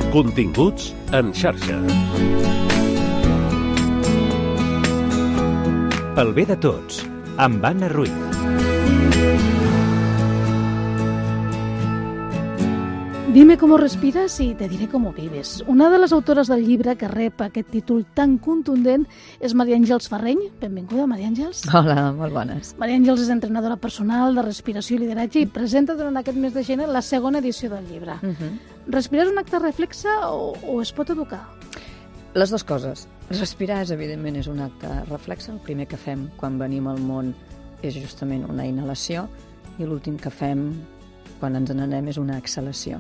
Continguts en xarxa. Pel bé de tots, amb Anna Ruiz. Dime cómo respiras y te diré cómo vives. Una de les autores del llibre que rep aquest títol tan contundent és Maria Àngels Ferreny. Benvinguda, Maria Àngels. Hola, molt bones. Maria Àngels és entrenadora personal de respiració i lideratge i presenta durant aquest mes de gener la segona edició del llibre. Respirar és un acte reflexe o es pot educar? Les dues coses. Respirar, evidentment, és un acte reflexe. El primer que fem quan venim al món és justament una inhalació i l'últim que fem quan ens n'anem és una exhalació.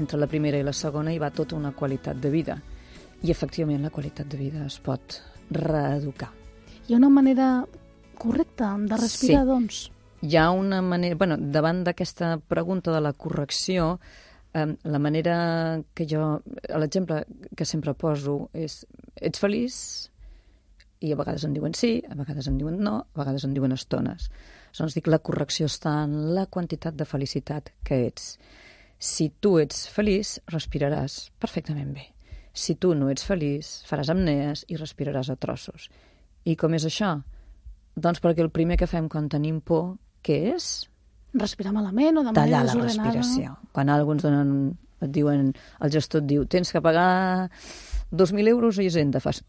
Entre la primera i la segona hi va tota una qualitat de vida. I, efectivament, la qualitat de vida es pot reeducar. Hi ha una manera correcta de respirar, sí. Doncs? Hi ha una manera... Bueno, davant d'aquesta pregunta de la correcció, la manera que jo... L'exemple que sempre poso és: ets feliç? I a vegades en diuen sí, a vegades en diuen no, a vegades en diuen estones. Doncs dic, la correcció està en la quantitat de felicitat que ets. Si tu ets feliç, respiraràs perfectament bé. Si tu no ets feliç, faràs apnees i respiraràs a trossos. I com és això? Doncs perquè el primer que fem quan tenim por, què és? Respirar malament o de manera tallar desordenada. La respiració. Quan alguns et diuen, el gestor et diu, tens que pagar 2.000 euros a Hisenda, fas...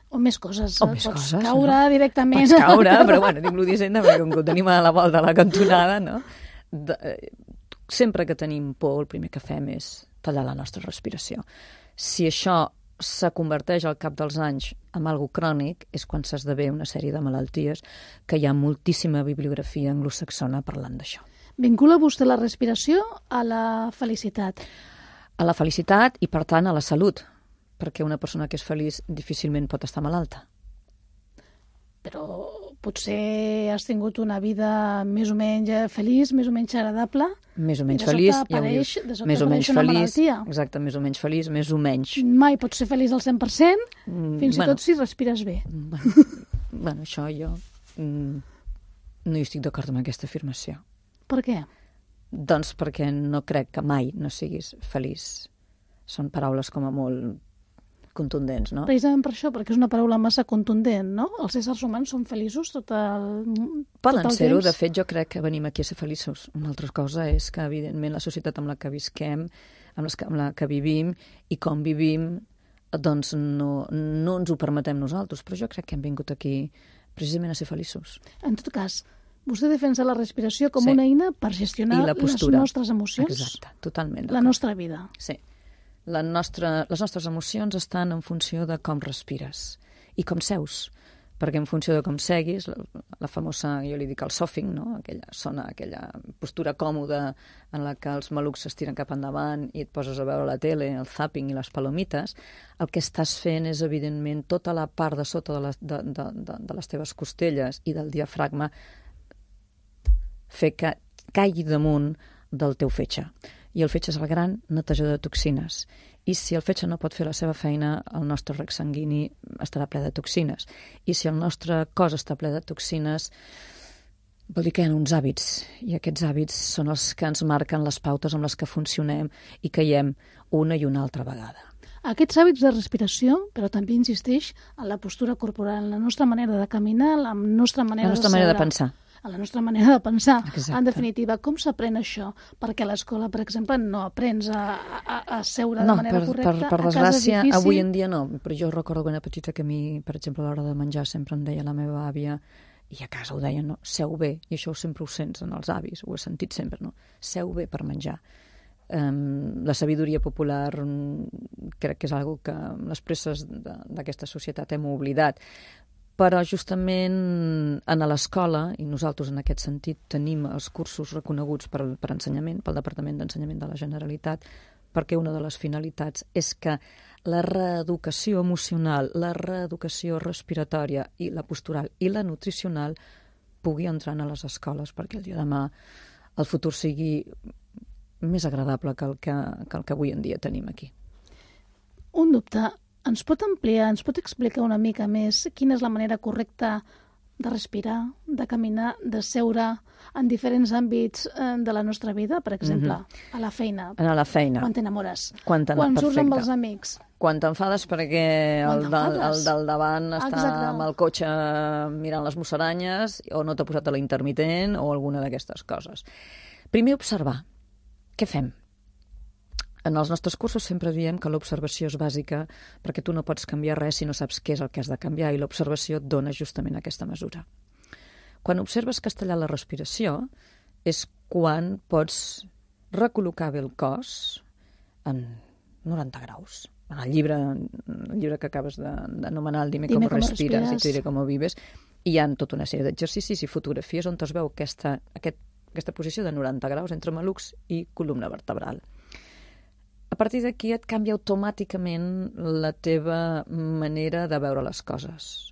O més coses. O més pots coses, caure no? directament. Pots caure, però bueno, dic-lo d'Hisenda perquè com que ho tenim a la volta de la cantonada, no? Sempre que tenim por, el primer que fem és tallar la nostra respiració. Si això se converteix al cap dels anys en algo crònic, és quan s'esdevé una sèrie de malalties que hi ha moltíssima bibliografia anglosaxona parlant d'això. Vincula vostè la respiració a la felicitat? A la felicitat i, per tant, a la salut, perquè una persona que és feliç difícilment pot estar malalta. Però potser has tingut una vida més o menys feliç, més o menys agradable. Més o menys feliç, ja ho dius, més o menys una feliç, malaltia. exacte, més o menys feliç, més o menys. Mai pots ser feliç al 100%, fins i tot si respires bé. Bueno, això jo no hi estic d'acord amb aquesta afirmació. Per què? Doncs perquè no crec que mai no siguis feliç. Són paraules com a molt contundents, no? Precisament per això, perquè és una paraula massa contundent, no? Els éssers humans són feliços tot el Poden ser-ho, temps. de fet jo crec que venim aquí a ser feliços. Una altra cosa és que evidentment la societat amb la que visquem, amb la que vivim i com vivim, doncs no ens ho permetem nosaltres, però jo crec que hem vingut aquí precisament a ser feliços. En tot cas, vostè defensa la respiració com una eina per gestionar les nostres emocions? Exacte, totalment. La nostra vida. Sí. Les nostres emocions estan en funció de com respires i com seus, perquè en funció de com seguis, la famosa, jo li dic el sofing, no? aquella postura còmoda en la que els malucs s'estiren cap endavant i et poses a veure la tele, el zapping i les palomites, el que estàs fent és, evidentment, tota la part de sota de les teves costelles i del diafragma fer que caigui damunt del teu fetge. I el fetge és el gran netejador de toxines. I si el fetge no pot fer la seva feina, el nostre rec sanguini estarà ple de toxines. I si el nostre cos està ple de toxines, vol dir que hi ha uns hàbits. I aquests hàbits són els que ens marquen les pautes amb les que funcionem i caiem una i una altra vegada. Aquests hàbits de respiració, però també insisteix en la postura corporal, en la nostra manera de caminar, en la nostra manera de seure. manera de pensar. A la nostra manera de pensar. Exacte. En definitiva, com s'aprèn això? Perquè a l'escola, per exemple, no aprens a seure de manera correcta. Per desgràcia, avui en dia no. Però jo recordo quan era petita que a mi, per exemple, a l'hora de menjar sempre em deia la meva àvia, i a casa ho deien, no? Seu bé. I això sempre ho sents en els avis, ho he sentit sempre, no? Seu bé per menjar. La sabidoria popular crec que és algo que les presses d'aquesta societat hem oblidat. Però justament a l'escola, i nosaltres en aquest sentit tenim els cursos reconeguts per ensenyament, pel Departament d'Ensenyament de la Generalitat, perquè una de les finalitats és que la reeducació emocional, la reeducació respiratòria i la postural i la nutricional pugui entrar a les escoles perquè el dia de demà el futur sigui més agradable que el que avui en dia tenim aquí. Un dubte. Ens pot ampliar, ens pot explicar una mica més quina és la manera correcta de respirar, de caminar, de seure en diferents àmbits de la nostra vida, per exemple, a la feina. A la feina. Quan t'enamores. Quan surts amb els amics. Quan t'enfades perquè el del davant està amb el cotxe mirant les musaranyes o no t'ha posat a la intermitent o alguna d'aquestes coses. Primer, observar. Què fem? En els nostres cursos sempre diem que l'observació és bàsica perquè tu no pots canviar res si no saps què és el que has de canviar i l'observació et dona justament aquesta mesura. Quan observes que has tallat la respiració és quan pots recol·locar bé el cos en 90 graus. En el llibre que acabes d'anomenar, el Dime com respires i te diré com vives, hi ha tota una sèrie d'exercicis i fotografies on es veu aquesta posició de 90 graus entre malucs i columna vertebral. A partir d'aquí et canvia automàticament la teva manera de veure les coses.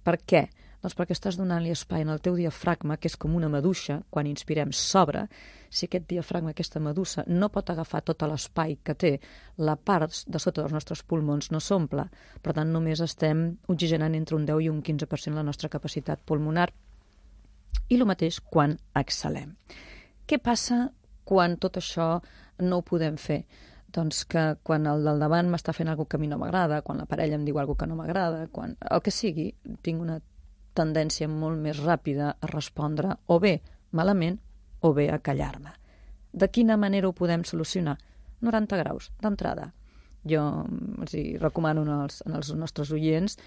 Per què? Doncs perquè estàs donant-li espai en el teu diafragma, que és com una maduixa, quan inspirem s'obre. Si aquest diafragma, aquesta maduixa, no pot agafar tot l'espai que té, la part de sota dels nostres pulmons no s'omple. Per tant, només estem oxigenant entre un 10 i un 15% la nostra capacitat pulmonar. I el mateix quan exhalem. Què passa quan tot això no ho podem fer? Doncs que quan el del davant m'està fent alguna que a mi no m'agrada, quan la parella em diu alguna que no m'agrada, quan el que sigui, tinc una tendència molt més ràpida a respondre o bé malament o bé a callar-me. De quina manera ho podem solucionar? 90 graus, d'entrada. Jo els recomano als nostres oients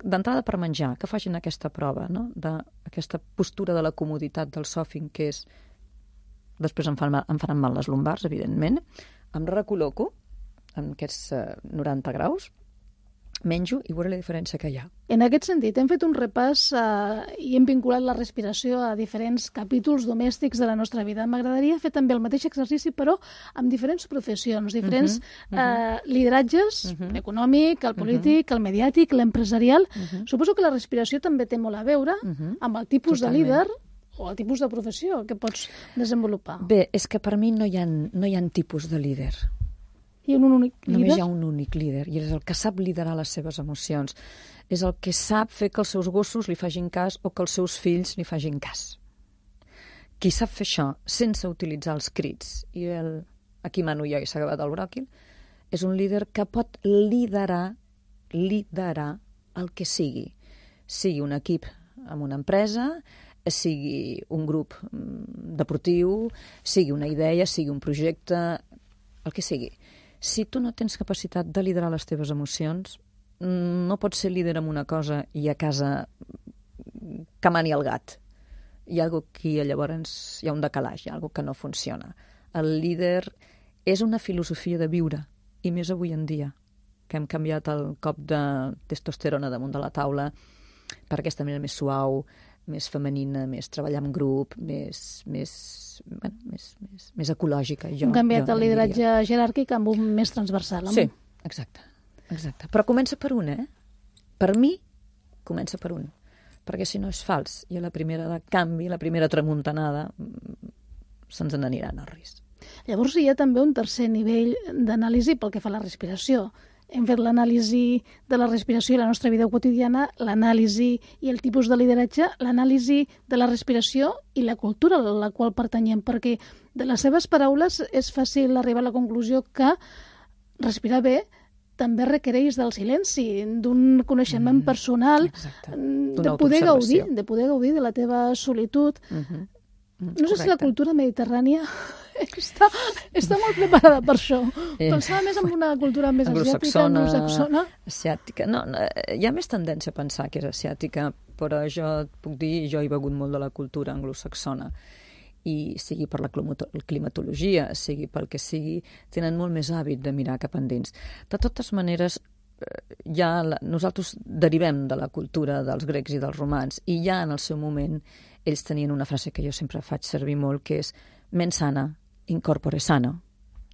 d'entrada per menjar, que facin aquesta prova, no? D'aquesta postura de la comoditat del sòfing, que és... Després em faran mal les lumbars, evidentment. Em recol·loco en aquests 90 graus, menjo i veuré la diferència que hi ha. En aquest sentit, hem fet un repàs i hem vinculat la respiració a diferents capítols domèstics de la nostra vida. M'agradaria fer també el mateix exercici, però amb diferents professions, diferents lideratges, l'econòmic, el polític, el mediàtic, l'empresarial. Suposo que la respiració també té molt a veure amb el tipus de líder o el tipus de professió que pots desenvolupar. Bé, és que per mi no hi ha tipus de líder. Hi ha un únic líder? Només hi ha un únic líder, i és el que sap liderar les seves emocions. És el que sap fer que els seus gossos li facin cas o que els seus fills li facin cas. Qui sap fer això sense utilitzar els crits i aquí mano jo i s'ha acabat el bròquil, és un líder que pot liderar el que sigui. Sigui un equip en una empresa, sigui un grup deportiu, sigui una idea, sigui un projecte, el que sigui. Si tu no tens capacitat de liderar les teves emocions, no pots ser líder en una cosa i a casa que mani el gat. Hi ha alguna cosa que llavors hi ha un decalaix, hi ha alguna cosa que no funciona. El líder és una filosofia de viure, i més avui en dia, que hem canviat el cop de testosterona damunt de la taula per aquesta manera més suau, més femenina, més treballar en grup, més ecològica. Hem canviat el lideratge jeràrquic amb un més transversal. Sí, exacte. Però comença per un, Per mi, comença per un. Perquè si no és fals, i a la primera de canvi, la primera tramuntanada, se'ns n'aniran al risc. Llavors hi ha també un tercer nivell d'anàlisi pel que fa a la respiració. Hem fet l'anàlisi de la respiració i la nostra vida quotidiana, l'anàlisi i el tipus de lideratge, l'anàlisi de la respiració i la cultura a la qual pertanyem, perquè de les seves paraules és fàcil arribar a la conclusió que respirar bé també requereix del silenci, d'un coneixement personal, de poder gaudir de la teva solitud. No sé si la cultura mediterrània està molt preparada per això. Pensava més en una cultura més asiàtica, anglosaxona. Asiàtica. No, hi ha més tendència a pensar que és asiàtica, però jo et puc dir, jo he begut molt de la cultura anglosaxona. I sigui per la climatologia, sigui pel que sigui, tenen molt més hàbit de mirar cap endins. De totes maneres, nosaltres derivem de la cultura dels grecs i dels romans, i ja en el seu moment ells tenien una frase que jo sempre faig servir molt, que és mens sana, in corpore sano.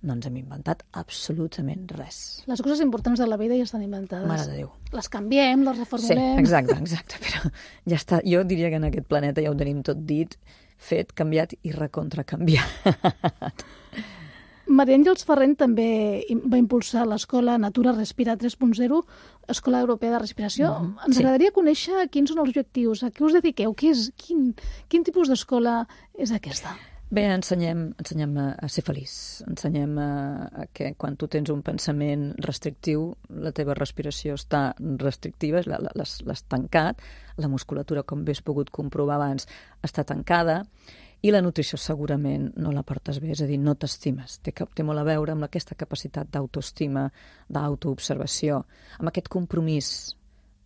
No ens hem inventat absolutament res. Les coses importants de la vida ja estan inventades. Mare de Déu. Les canviem, les reformulem. Sí, exacte, però ja està. Jo diria que en aquest planeta ja ho tenim tot dit, fet, canviat i recontracanviat. Maria Àngels Ferreny també va impulsar l'escola Natura Respira 3.0, Escola Europea de Respiració. Ens agradaria conèixer quins són els objectius, a què us dediqueu, quin tipus d'escola és aquesta? Bé, ensenyem a ser feliç. Ensenyem a que quan tu tens un pensament restrictiu, la teva respiració està restrictiva, l'has tancat, la musculatura, com bé has pogut comprovar abans, està tancada, i la nutrició segurament no la portes bé, és a dir, no t'estimes. Té molt a veure amb aquesta capacitat d'autoestima, d'autoobservació, amb aquest compromís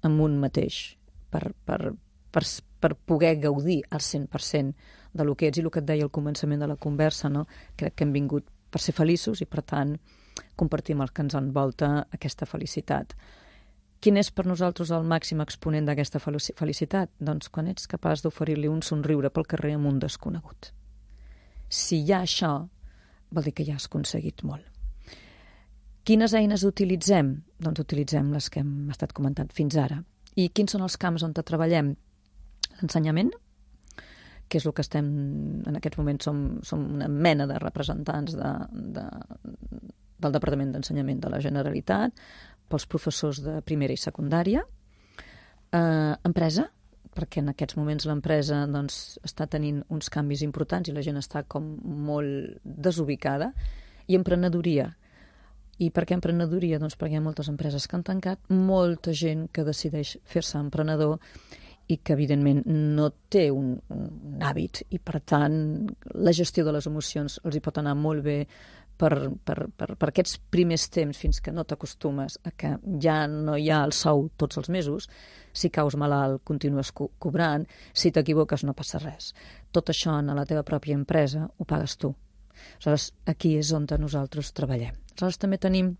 amb un mateix, per poder gaudir al 100% de lo que ets, i el que et deia al començament de la conversa, no? Crec que hem vingut per ser feliços i, per tant, compartim el que ens envolta aquesta felicitat. Quin és per nosaltres el màxim exponent d'aquesta felicitat? Doncs quan ets capaç d'oferir-li un somriure pel carrer amb un desconegut. Si hi ha això, vol dir que ja has aconseguit molt. Quines eines utilitzem? Doncs utilitzem les que hem estat comentant fins ara. I quins són els camps on treballem? L'ensenyament, que és el que estem, en aquests moments som una mena de representants del Departament d'Ensenyament de la Generalitat, pels professors de primera i secundària, empresa, perquè en aquests moments l'empresa doncs, està tenint uns canvis importants i la gent està com molt desubicada, i emprenedoria. I per què emprenedoria? Doncs perquè hi ha moltes empreses que han tancat, molta gent que decideix fer-se emprenedor i que, evidentment, no té un hàbit i, per tant, la gestió de les emocions els hi pot anar molt bé per aquests primers temps fins que no t'acostumes a que ja no hi ha el sou tots els mesos. Si caus malalt, continues cobrant. Si t'equivoques, no passa res. Tot això en la teva pròpia empresa ho pagues tu. Aleshores, aquí és on nosaltres treballem. Aleshores, també tenim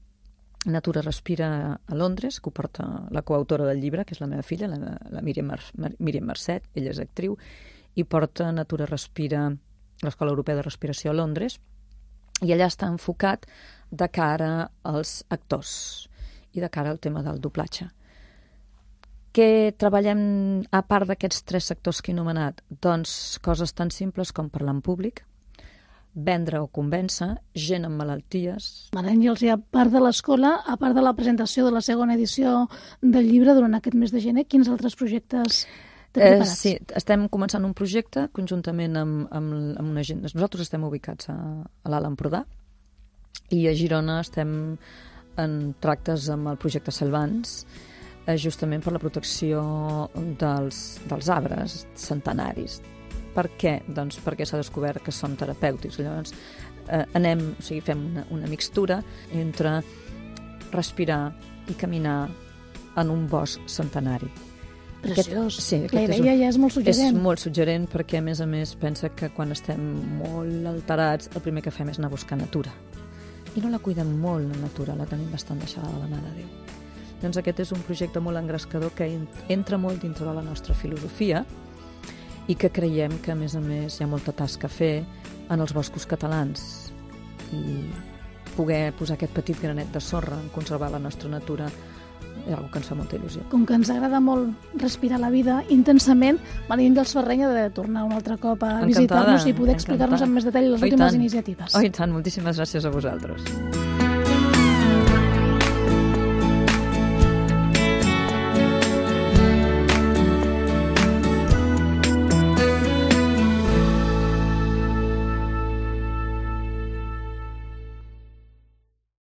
Natura Respira a Londres, que ho porta la coautora del llibre, que és la meva filla, la Míriam Marcet, ella és actriu, i porta Natura Respira, l'Escola Europea de Respiració a Londres, i allà està enfocat de cara als actors i de cara al tema del doblatge. Què treballem a part d'aquests 3 sectors que he anomenat? Doncs coses tan simples com parlar en públic, vendre o convèncer, gent amb malalties. Maria Àngels, i a part de l'escola, a part de la presentació de la segona edició del llibre durant aquest mes de gener, quins altres projectes preparats? Sí, estem començant un projecte conjuntament amb una gent. Nosaltres estem ubicats a l'Alt Empordà i a Girona estem en tractes amb el projecte Salvans, justament per la protecció dels arbres centenaris. Per què? Doncs perquè s'ha descobert que són terapèutics. Llavors fem una mixtura entre respirar i caminar en un bosc centenari. Preciós. La idea ja és molt suggerent. És molt suggerent perquè, a més, pensa que quan estem molt alterats el primer que fem és anar a buscar natura. I no la cuidem molt, la natura, la tenim bastant deixada de la mà de Déu. Doncs aquest és un projecte molt engrescador que entra molt dintre de la nostra filosofia i que creiem que, a més, hi ha molta tasca a fer en els boscos catalans. I poder posar aquest petit granet de sorra en conservar la nostra natura és una cosa que ens fa molta il·lusió. Com que ens agrada molt respirar la vida intensament, Maria Àngels Ferreny ha de tornar un altre cop a visitar-nos i poder explicar-nos amb més detall les últimes iniciatives. Oh, i tant, moltíssimes gràcies a vosaltres.